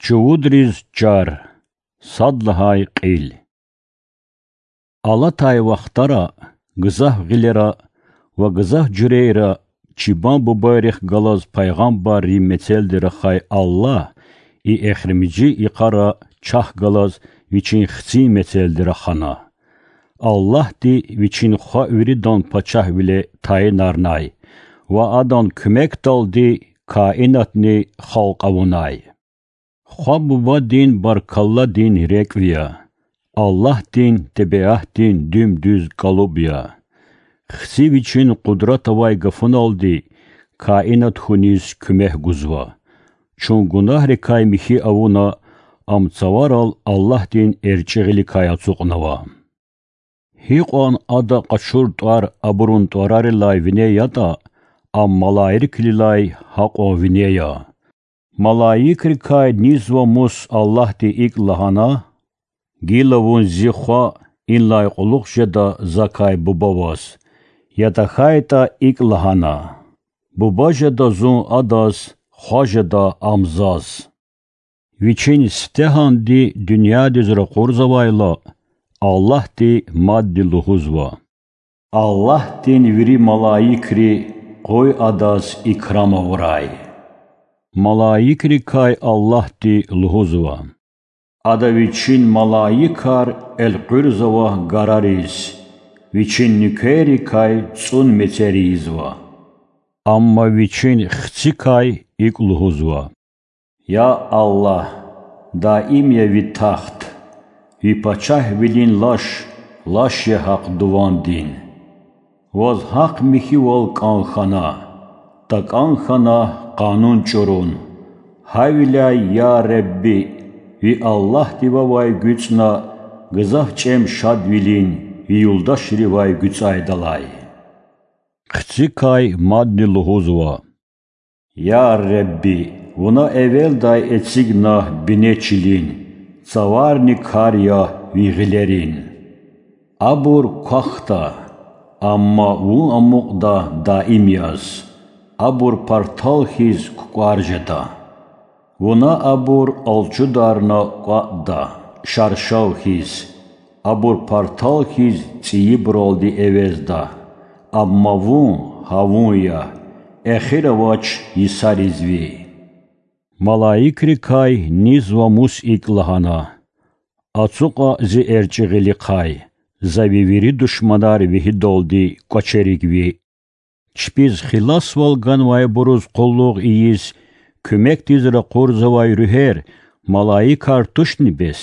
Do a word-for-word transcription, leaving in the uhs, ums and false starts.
Чувудриз чар. Сад лагьай кьил. Алатай вахтара, гзаф гъилера ва гзаф жуьрейра чпин бубайрихъ галаз пайгъамбаррин мецелди рахай Аллагь и эхиримжи йикъара чахъ галаз Вичин Хцин мецелди рахана. Аллагьди Вичин Хва виридан пачагьвиле тайинарнай ва Адан куьмекдалди каинатни халкь авунай. Хва Бубадин баркалладин рекӀв я, Аллагьдин тебиатдин дуьм-дуьз кӀалуб я. Хци Вичин къудрат авай гафуналди каинат хьуниз куьмек гузва. Чун гунагьрикай михьи авуна, ам цаварал Аллагьдин эрчӀи гъиликай ацукьнава. Гьикьван Ада къачур тӀвар абурун тӀварарилай вине ятӀа, ам малаикрилай гьакьван вине я. Малаикрикай низва мус Аллагьди икӀ лагьана: Гила Вун Зи Хва, инлай кьулухъ жеда Закай Буба ваз. Я тахьайтӀа икӀ лагьана: Буба жеда Зун Адаз, Хва жеда Ам Заз. Вичин сифтегьанди дуьньядиз ракъурзавайла, Аллагьди мадни лугьузва: Аллагьдин вири малаикри къуй Адаз икрам авурай. Малаикрикай Аллагьди лугьузва: Ада Вичин малаикар элкъуьрзава гарариз, Вичин нуькеррикай цӀун мецер ийизва. Амма Вичин Хцикай икӀ лугьузва: Я Аллагь, даим я Ви тахт, Ви пачагьвилин лаш лаш я гьахъ дувандин. Ваз гьахъ михьивал кӀан хьана, такӀан хьана къанун чӀурун. Гьавиляй, я Ребби, Ви Аллагьдивавай гуьцӀна гзаф чӀем шадвилин Ви юлдашривай гуьцӀайдалай. Хцикай мадни лугьузва: Я Ребби, Вуна эвелдай эцигна бине чилин, цаварни кар я Ви гъилерин. Абур квахьда, амма Вун амукьда даим яз, абур партал хьиз кукӀвар жеда. Вуна абур алчударна кӀватӀда, шаршав хьиз, абур партал хьиз цӀийибуралди эвезда, амма Вун гьавун я, эхир авач йисариз Ви. Малаикрикай низва мус икӀ лагьана: Ацукьа Зи эрчӀи гъилихъай, За Ви вири душманар вегьидалди кӀвачерик Ви. Чпиз хиласвал ганвайбуруз къуллугъ ийиз, куьмекдиз ракъурзавай руьгьер малаикар тушни бес?